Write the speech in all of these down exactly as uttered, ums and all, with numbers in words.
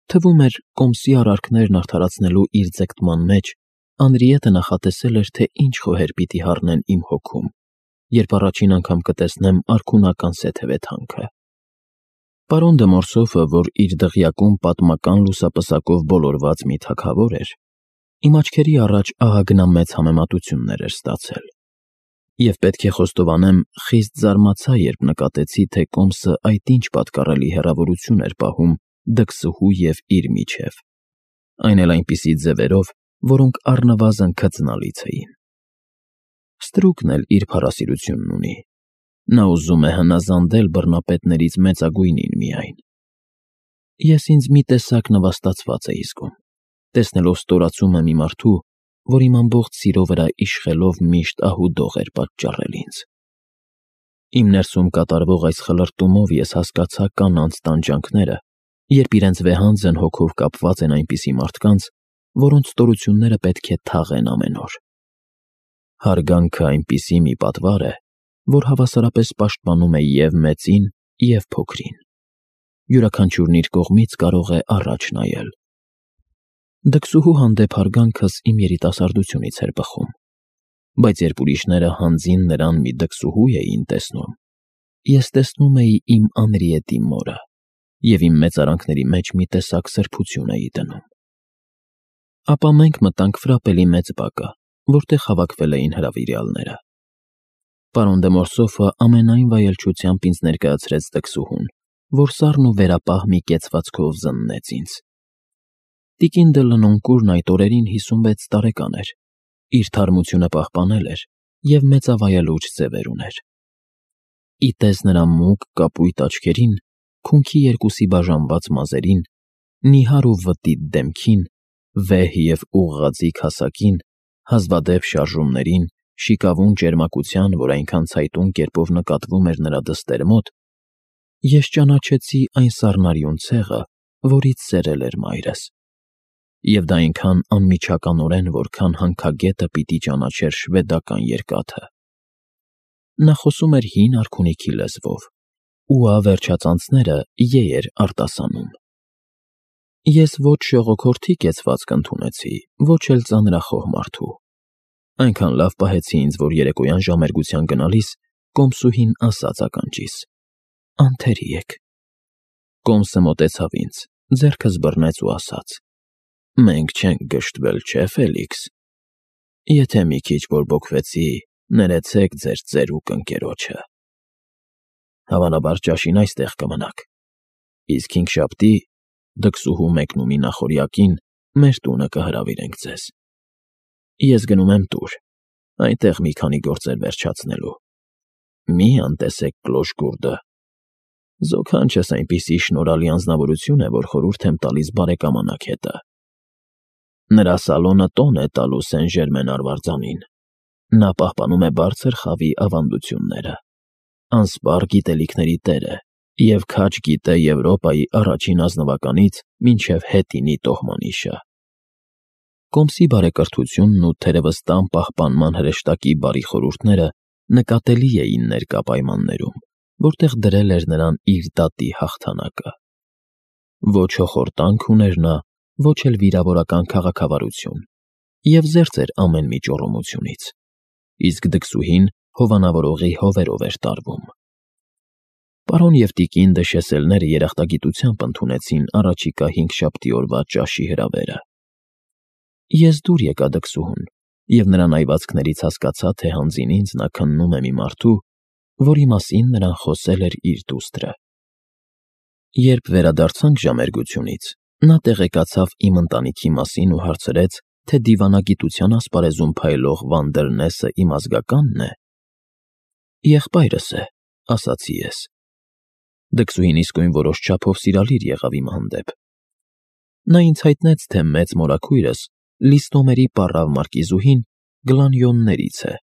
Թվում էր, կոմսի արարքներն արդարացնելու իր ձգտման մեջ Անրիետը նախատեսել էր, թե ինչ խոհեր պիտի հառնեն իմ հոգում, երբ առաջին անգամ կտեսնեմ արքունական սեթևեթանքը։ Պարոն դը Մորսոֆը, որ իր դղյակում պատմական լուսապսակով բոլորված մի թագավոր էր, իմ աչքերի առաջ ահագնամեծ համեմատություններ էր ստացել։ Եվ պետք է խոստովանեմ, խիստ զարմացա, երբ նկատեցի, թե կոմսը այդ ինչ պատկառելի հեռավորություն էր պահում դքսուհու և իր միջև, այն էլ այնպիսի ձևերով, որոնք առնվազն քծնալից էին։ Ստրուկն էլ իր փառասիրությունն ունի, նա ուզում է հնազանդել բռնապետներից մեծագույնին միայն։ Ես ինձ մի տեսակ նվաստացված էի զգում, տեսնելով ստորացումը մի մարդու, որ իմ ամբողջ սիրո վրա իշխելով միշտ ահուդող էր պատճառել ինձ։ Իմ ներսում կատարվող այս խլրտումով ես հասկացա կանանց տանջանքները, երբ իրենց վեհանձն հոգով կապված են այնպիսի մարդկանց, որոնց ստորությունները պետք է թաղեն ամեն օր։ Հարգանքը այնպիսի մի պատվար է, որ հավասարապես պաշտպանում է և մեծին, և փոքրին։ Յուրաքանչյուրն իր կողմից կարող է առաջ նայել։ Դքսուհու հանդեպ հարգանքս իմ երիտասարդությունից էր բխում, բայց երբ ուրիշները հանձին նրան մի դքսուհու էին տեսնում, ես տեսնում էի իմ Անրիետի մորը և իմ մեծարանքների մեջ մի տեսակ սրբություն էի դնում։ Ապա մենք մտանք ֆրապելի մեծ բակը, որտեղ հավաքվել էին հրավիրյալները։ Պարոն դը Մորսոֆը ամենայն վայելչությամբ ինձ ներկայացրեց դքսուհուն, որ սառն ու վերապահ մի կեցվածքով զննեց ինձ։ Տիկին դը Լնոնկուրն այդ օրերին հիսունվեց տարեկան էր, իր թարմությունը պահպանել էր և մեծավայելուչ ձևեր ուներ։ Ի տես նրա մուգ կապույտ աչքերին, քունքի երկուսի բաժանված մազերին, նիհար ու վտիտ դեմքին, վեհ և ուղղաձիգ հասակին, հազվադեպ շարժումներին, շիկավուն ճերմակության, որ այնքան ցայտուն կերպով նկատվում էր նրա դստեր մոտ, ես ճանաչեցի այն սառնարյուն ցեղը, որից սերել էր մայրս, և դա այնքան անմիջականորեն, որքան հանքագետը պիտի ճանաչեր շվեդական երկաթը։ Նա խոսում էր հին արքունիքի լեզվով, ու ավերջածանցները «ե» էր արտասանում։ Ես ոչ ժողոքորթի կեցվածք ընդունեցի, ոչ էլ ծանրախոհ մարդու։ Այնքան լավ պահեցի ինձ, որ երեկոյան ժամերգության գնալիս կոմսուհին ասաց ականջիս. «Անթերի եք»։ Կոմսը մոտեցավ ինձ, ձեռքս բռնեց ու ասաց. «Մենք չենք գժտվել, չէ՞, Ֆելիքս։ Եթե մի քիչ բորբոքվեցի, ներեցեք ձեր ծերուկ ընկերոջը։ Հավանաբար ճաշին այստեղ կմնաք, իսկ հինգշաբթի, դքսուհու մեկնումի նախօրյակին, մեր տունը կհրավիրենք ձեզ։ Ես գնում եմ տուր, այնտեղ մի քանի գործեր վերջացնելու։ Մի անտեսեք կլոշ֊գուրդը։ Զոքանչս այնպիսի շնորհալի անձնավորություն է, որ խորհուրդ եմ տալիս բարեկամանաք հետը։ Նրա սալոնը տոն է տալու Սեն֊Ժերմեն արվարձանին։ Նա պահպանում է բարձր խավի ավանդությունները, անսպառ գիտելիքների տեր է և քաջ գիտե Եվրոպայի առաջին ազնվականից մինչև հետինի տոհմանիշը։ Կոմսի բարեկրթությունն ու թերևս տան պահպանման հրեշտակի բարի խորհուրդները նկատելի էին ներկա պայմաններում, որտեղ դրել էր նրան իր դատի հաղթանակը։ Ոչ հոխորտանք ուներ նա, ոչ էլ վիրավորական քաղաքավարություն, և զերծ էր ամեն մի ճոռոմությունից, իսկ դքսուհին հովանավորողի հովերով էր տարվում։ Պարոն և տիկին դը Շեսելները երախտագիտությամբ ընդունեցին առաջիկա հինգշաբթի օրվա ճաշի հրավերը։ Ես դուր եկա դքսուհուն, և նրա նայվածքներից հասկացա, թե հանձին ինձ նա քննում է մի մարդու, որի մասին նրան խոսել էր իր դուստրը։ Երբ վերադարձանք ժամերգությունից, նա տեղեկացավ իմ ընտանիքի մասին ու հարցրեց, թե դիվանագիտության ասպարեզում փայլող Վանդերնեսը իմ ազգակա՞նն է։ Եղբայրս է, ասացի ես։ Դքսուհին իսկույն որոշ չափով սիրալիր եղավ իմ հանդեպ։ Նա ինձ հայտնեց, թե մեծ մորաքույրս Լիստոմերի պառավ մարկիզուհին Գլանյոններից է։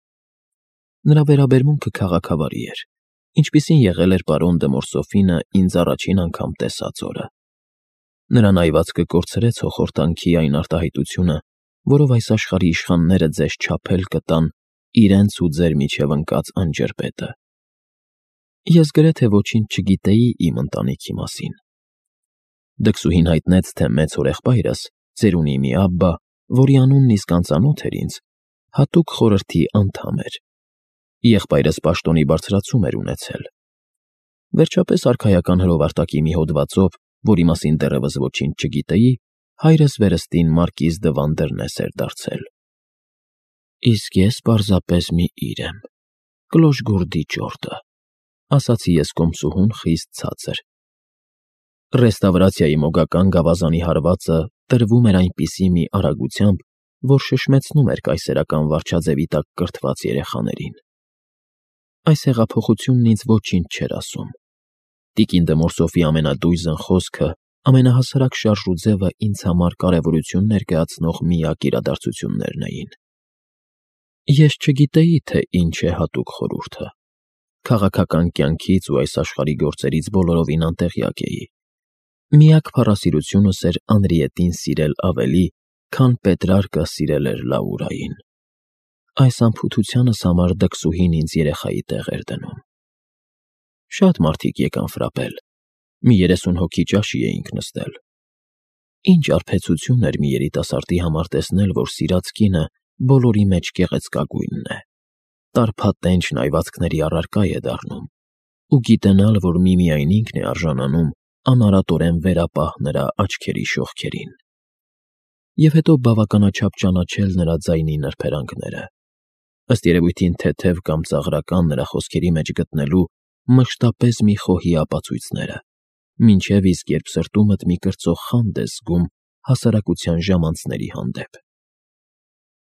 Նրա վերաբերմունքը քաղաքավարի էր, ինչպիսին եղել էր պարոն դը Մորսոֆինը ինձ առաջին անգամ տեսած օրը։ Նրա նայվածքը կորցրեց հոխորտանքի այն արտահայտությունը, որով այս աշխարհի իշխանները ձեզ չափել կտան իրենց ու ձեր միջև ընկած անջրպետը։ Ես գրեթե ոչինչ չգիտեի իմ ընտանիքի մասին։ Դքսուհին հայտնեց, թե մեծ հորեղբայրս, ծերունի մի աբբա, որի անունն իսկ անծանոթ էր ինձ, հատուկ խորհրդի անդամ էր։ Եղբայրս պաշտոնի բարձրացում էր ունեցել։ Վերջապես արքայական հրովարտակի մի հոդվածով, որի մասին դեռևս ոչինչ չգիտեի, հայրս վերստին մարկիզ դը Վանդերնես էր դարձել։ Իսկ ես պարզապես մի իր եմ, Կլոշգորդի ճորտը, ասացի ես կոմսուհուն խիստ ցածր։ Ռեստավրացիայի մոգական գավազանի հարվածը տրվում էր այնպիսի մի արագությամբ, որ շշմեցնում էր կայսերական վարչաձևի տակ կրթված երեխաներին։ Այս հեղափոխությունն ինձ ոչինչ չէր ասում։ Տիկին դը Մորսոֆի ամենադույզն խոսքը, ամենահասարակ շարժուձևը ինձ համար կարևորություն ներկայացնող միակ իրադարձություններն էին։ Ես չգիտեի, թե ինչ է հատուկ խորհուրդը։ Քաղաքական կյանքից ու այս աշխարհի գործերից բոլորովին անտեղյակ էի։ Միակ փառասիրությունս էր Անրիետին սիրել ավելի, քան Պետրարկը սիրել էր Լաուրային։ Այս անփութությանս համար դքսուհին ինձ երեխայի տեղ էր դնում։ Շատ մարդիկ եկան ֆրապել։ Մի երեսուն հոգի ճաշի էինք նստել։ Ինչ արբեցություն էր մի երիտասարդի համար տեսնել, որ սիրած կինը բոլորի մեջ գեղեցկագույնն է, տարփատենչ նայվածքների առարկա է դառնում, ու գիտենալ, որ միմիայն ինքն է արժանանում անարատորեն վերապահ նրա աչքերի շողքերին։ Եվ հետո բավականաչափ ճանաչել նրա ձայնի նրբերանգները, ըստ երևույթին թեթև կամ ծաղրական նրա խոսքերի մեջ գտնելու մշտապես մի խոհի ապացույցները, մինչև իսկ երբ սրտումդ մի կրծող խանդ ես զգում հասարակության ժամանցների հանդեպ։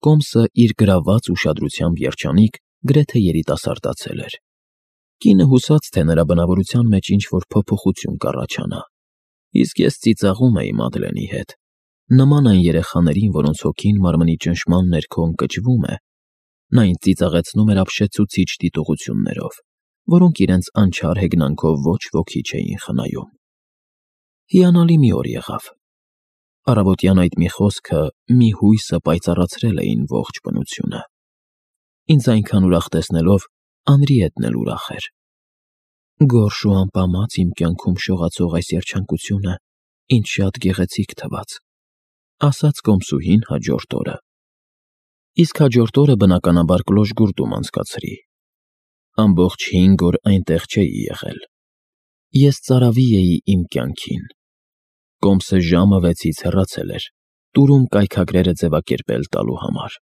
Կոմսը իր գրաված ուշադրությամբ երջանիկ գրեթե երիտասարդացել էր։ Կինը հուսաց, թե նրա բնավորության մեջ ինչ-որ փոփոխություն կառաջանա, իսկ ես ծիծաղում էի Մադլենի հետ, նման այն երեխաներին, որոնց հոգին մարմնի ճնշման ներքո ընկճվում է, նա ինձ ծիծաղեցնում էր ապշեցուցիչ դիտողություններով, որոնք իրենց անչար հեգնանքով ոչ ոքի չէին խնայում։ Հիանալի մի օր եղավ։ Առավոտյան այդ մի խոսքը, մի հույսը պայծառացրել էին ողջ բնությունը։ Ինձ այնքան ուրախ տեսնելով, Անրիետն էլ ուրախ էր։ Գորշ ու անպամած իմ կյանքում շողացող այս երջանկությունը ինչ շատ գեղեցիկ թվաց, ասաց կոմսուհին հաջորդ օրը։ Իսկ հաջորդ օրը բնականաբար Կլոշգուրդում անցկացրի։ Ամբողջ հինգ օր այնտեղ չէի եղել։ Ես ծարավի էի իմ կյանքին։ Կոմսը ժամը վեցից հեռացել էր, տուրում կայքագրերը ձևակերպել տալու համար։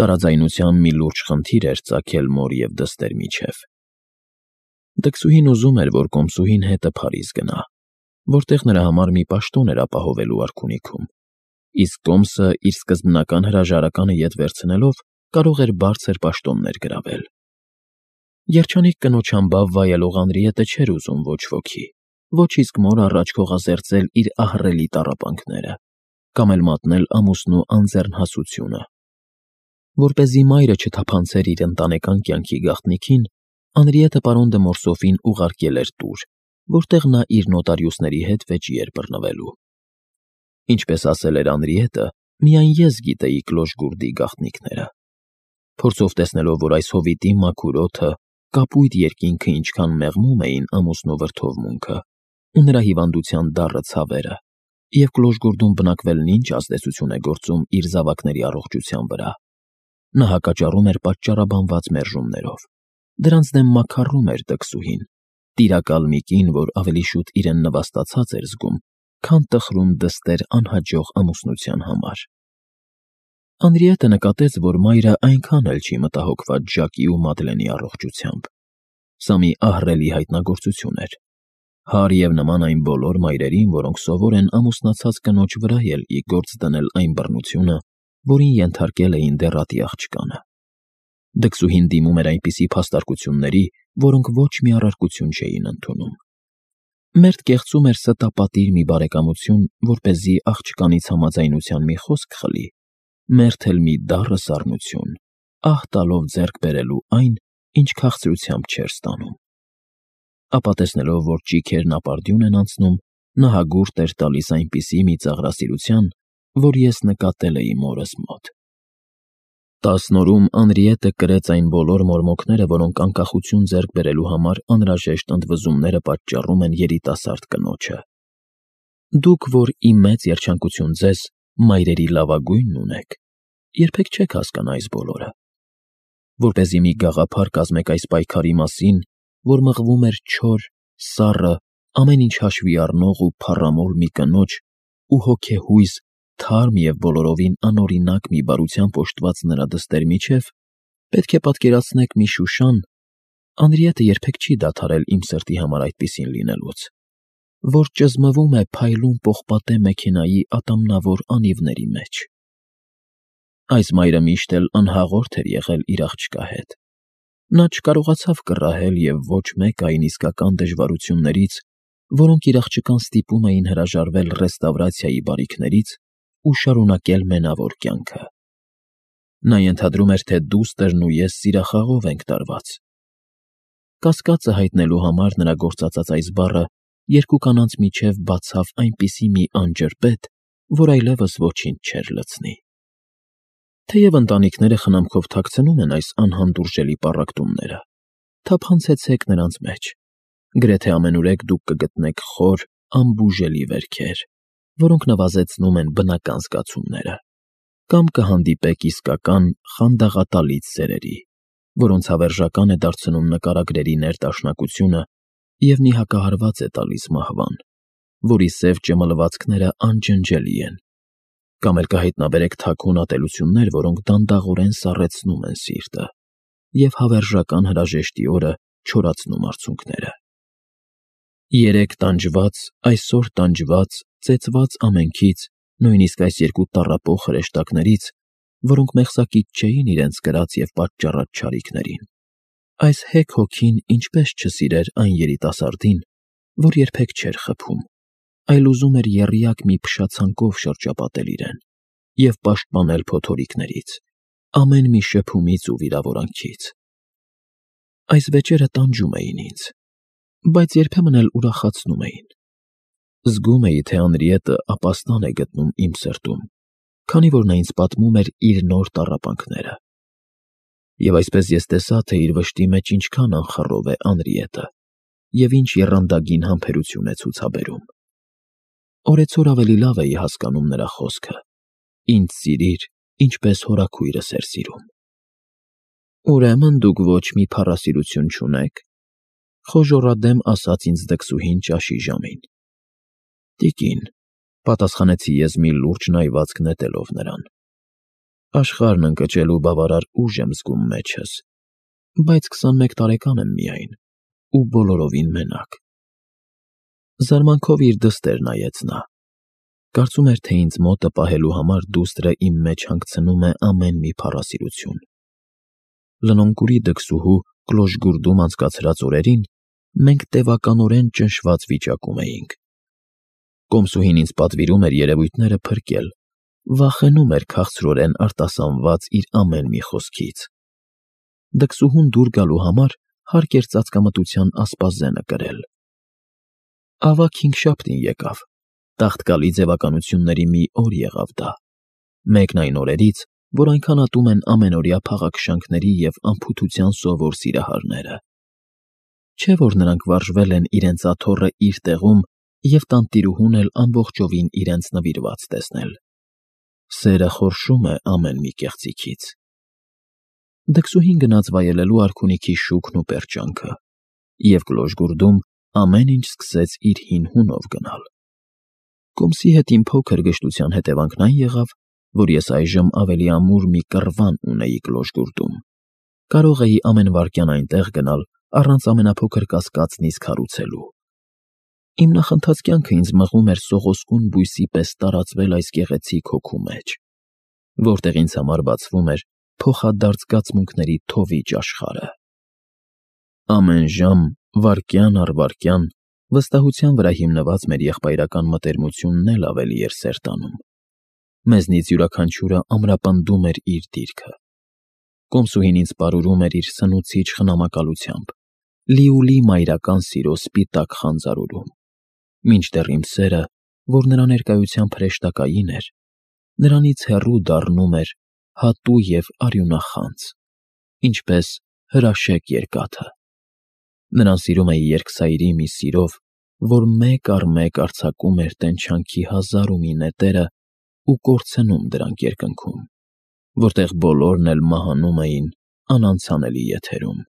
Տարաձայնության մի լուրջ խնդիր էր ծագել մոր և դստեր միջև։ Դքսուհին ուզում էր, որ կոմսուհին հետը Փարիզ գնա, որտեղ նրա համար մի պաշտոն էր ապահովելու արքունիքում, իսկ կոմսը իր սկզբնական հրաժարականը ետ վերցնելով կարող էր բարձր պաշտոններ գրավել։ Երջանիկ կնոջ համբավ վայելող Անրիետը չէր ուզում ոչ ոքի, ոչ իսկ մոր առաջ քողազերծել իր ահռելի տառապանքները, կամ էլ մատնել ամուսնու անձեռնհասությունը։ Որպեսզի մայրը չթափանցեր իր ընտանեկան կյանքի գաղտնիքին, Անրիետը պարոն դը Մորսոֆին ուղարկել էր տուր, որտեղ նա իր նոտարիուսների հետ վեճի էր բռնվելու։ Ինչպես ասել էր Անրիետը, միայն ես գիտեի Կլոշգուրդի գաղտնիքները։ Փորձով տեսնելով, որ այս հովիտի մաքուր օդը, կապույտ երկինքը ինչքան մեղմում էին ամուսնու վրդովմունքը ու նրա հիվանդության դառը ցավերը, և Կլոշգուրդում բնակվելն ինչ ազդեցություն է գործում իր զավակների առողջության վրա, նա հակաճառում էր պատճառաբանված մերժումներով։ Դրանց դեմ մաքարում էր դքսուհին, տիրակալ մի կին, որ ավելի շուտ իրեն նվաստացած էր զգում, քան տխրում դստեր անհաջող ամուսնության համար։ Անրիետը նկատեց, որ մայրը այնքան էլ չի մտահոգված Ժակի ու Մադլենի առողջությամբ։ Սա մի ահռելի հայտնագործություն էր։ Հար և նման այն բոլոր մայրերին, որոնք սովոր են ամուսնացած կնոջ վրա էլ ի գործ դնել այն բռնությունը, որին ենթարկել էին դեռատի աղջկանը։ Դքսուհին դիմում էր այնպիսի փաստարկությունների, որոնք ոչ մի առարկություն չէին ընդունում։ Մերթ կեղծում էր ստապատիր մի բարեկամություն, որպեսզի աղջկանից համաձայնության մի խոսք խլի, մերթ էլ մի դառը սառնություն, ահ տալով ձեռք բերելու այն, ինչ քաղցրությամբ չէր ստանում։ Ապա տեսնելով, որ ճիգերն ապարդյուն են անցնում, նա հագուրդ էր տալիս այնպիսի մի ծաղրասիրության, որ ես նկատել էի մորս մոտ։ Տասն օրում Անրիետը կրեց այն բոլոր մորմոքները, որոնք անկախություն ձեռք բերելու համար անհրաժեշտ ընդվզումները պատճառում են երիտասարդ կնոջը։ Դուք, որ իմ մեծ երջանկություն ձեզ, մայրերի լավագույնն ունեք, երբեք չեք հասկանա այս բոլորը, որպեսզի մի գաղափար կազմեք այս պայքարի մասին, որ մղվում էր չոր, սառը, ամեն ինչ հաշվի առնող ու փառամոլ մի կնոջ ու հոգեհույզ, թարմ և բոլորովին անօրինակ մի բարությամբ օժտված նրա դստեր միջև, պետք է պատկերացնեք մի Շուշան, Անրիետը երբեք չի դադարել իմ սրտի համար այդպիսին լինելուց, որ ճզմվում է փայլուն պողպատե մեքենայի ատամնավոր անիվների մեջ։ Այս մայրը միշտ էլ անհաղորդ էր եղել իր աղջկա հետ։ Նա չկարողացավ կռահել և ոչ մեկ այն իսկական դժվարություններից, որոնք իր աղջկան ստիպում էին հրաժարվել ռեստավրացիայի բարիքներից ու շարունակել մենավոր կյանքը։ Նա ենթադրում էր, թե դուստրն ու ես սիրախաղով ենք տարված։ Կասկածը հայտնելու համար նրա գործածած այս բառը երկու կանանց միջև բացավ այնպիսի մի անջրպետ, որ այլևս ոչինչ չէր լցնի։ Թեև ընտանիքները խնամքով թաքցնում են այս անհանդուրժելի պառակտումները, թափանցեցեք նրանց մեջ, գրեթե ամենուրեք դուք կգտնեք խոր, անբուժելի վերքեր, որոնք նվազեցնում են բնական զգացումները, կամ կհանդիպեք իսկական խանդաղատալից սերերի, որոնց հավերժական է դարձնում նկարագրերի ներդաշնակությունը և մի հակահարված է տալիս մահվան, որի սև ճմլվածքները անջնջելի են, կամ էլ կհայտնաբերեք թաքուն ատելություններ, որոնք դանդաղորեն սառեցնում են սիրտը և հավերժական հրաժեշտի օրը չորացնում արցունքները։ Երեկ տանջված, այսօր տանջված, ծեծված ամենքից, նույնիսկ այս երկու տառապող հրեշտակներից, որոնք մեղսակից չէին իրենց կրած և պատճառած չարիքներին, այս հեգ հոգին ինչպես չսիրեր այն երիտասարդին, որ երբեք չէր խփում, այլ ուզում էր եռյակ մի փշացանկով շրջապատել իրեն և պաշտպանել փոթորիկներից, ամեն մի շփումից ու վիրավորանքից։ Այս վեճերը տանջում էին ինձ, բայց երբեմն էլ ուրախացնում էին։ Զգում էի, թե Անրիետը ապաստան է գտնում իմ սրտում, քանի որ նա ինձ պատմում էր իր նոր տառապանքները։ Եվ այսպես ես տեսա, թե իր վշտի մեջ ինչքան անխռով է Անրիետը և ինչ եռանդագին համբերություն է ցուցաբերում։ Օրեցօր ավելի լավ էի հասկանում նրա խոսքը. «Ինձ սիրիր, ինչպես հորաքույրս էր սիրում»։ «Ուրեմն դուք ոչ մի փառասիրություն չունեք», խոժոռադեմ ասաց ինձ դքսուհին ճաշի ժամին։ «Տիկին», պատասխանեցի ես մի լուրջ նայվածք նետելով նրան, «աշխարհն ընկճելու բավարար ուժ եմ զգում մեջս, բայց քսանմեկ տարեկան եմ միայն ու բոլորովին մենակ»։ Զարմանքով իր դստեր նայեց նա։ Կարծում էր, թե ինձ մոտը պահելու համար դուստրը իմ մեջ հանգցնում է ամեն մի փառասիրություն։ Լնոնկուրի դքսուհու Կլոժգուրդում անցկացրած օրերին մենք տևականորեն ճնշված վիճակում էինք։ Կոմսուհին ինձ պատվիրում էր երևույթները փրկել, վախենում էր քաղցրորեն արտասանված իր ամեն մի խոսքից։ Դքսուհուն դուր գալու համար հարկ էր ծածկամտության ասպազենը կրել։ Ավագ հինգշաբթին եկավ, տաղտկալի ձևականությունների մի օր եղավ դա, մեկն այն օրերից, որ այնքան ատում են ամենօրյա փաղաքշանքների և անփութության սովոր սիրահարները։ Չէ՞ որ նրանք վարժվել են իրենց աթոռը իր տեղում և տանտիրուհուն էլ ամբողջովին իրենց նվիրված տեսնել։ Սերը խորշում է ամեն մի կեղծիքից։ Դքսուհին գնաց վայելելու արքունիքի շուքն ու պերճանքը, և Կլոժգուրդում ամեն ինչ սկսեց իր հին հունով գնալ։ Կոմսի հետ իմ փոքր գժտության հետևանքն այն եղավ, որ ես այժմ ավելի ամուր մի կռվան ունեի Կլոժգուրդում։ Կարող էի ամեն վայրկյան այնտեղ գնալ, առանց ամենափոքր կասկածն իսկ հարուցելու։ Իմ նախընթաց կյանքը ինձ մղում էր սողոսկուն բույսի պես տարածվել այս գեղեցիկ հոգու մեջ, որտեղ ինձ համար բացվում էր փոխադարձ զգացմունքների թովիճ աշխարհը։ Ամեն ժամ, վայրկյան առ վայրկյան, վստահության վրա հիմնված մեր եղբայրական մտերմությունն էլ ավելի էր սերտանում։ Մեզնից յուրաքանչյուրը ամրապնդում էր իր դիրքը։ Կոմսուհին ինձ պարուրում էր իր սնուցիչ խնամակալությամբ, լիուլի մայրական սիրո սպիտակ խանձարուրում, մինչդեռ իմ սերը, որ նրա ներկայությամբ հրեշտակային էր, նրանից հեռու դառնում էր հատու և արյունախանձ, ինչպես հրաշեկ երկաթը։ Նրան սիրում էի երկսայրի մի սիրով, որ մեկ առ մեկ արձակում էր տենչանքի հազար ու մի նետերն ու կորցնում դրանք երկնքում, որտեղ բոլորն էլ մահանում էին անանցանելի եթերում։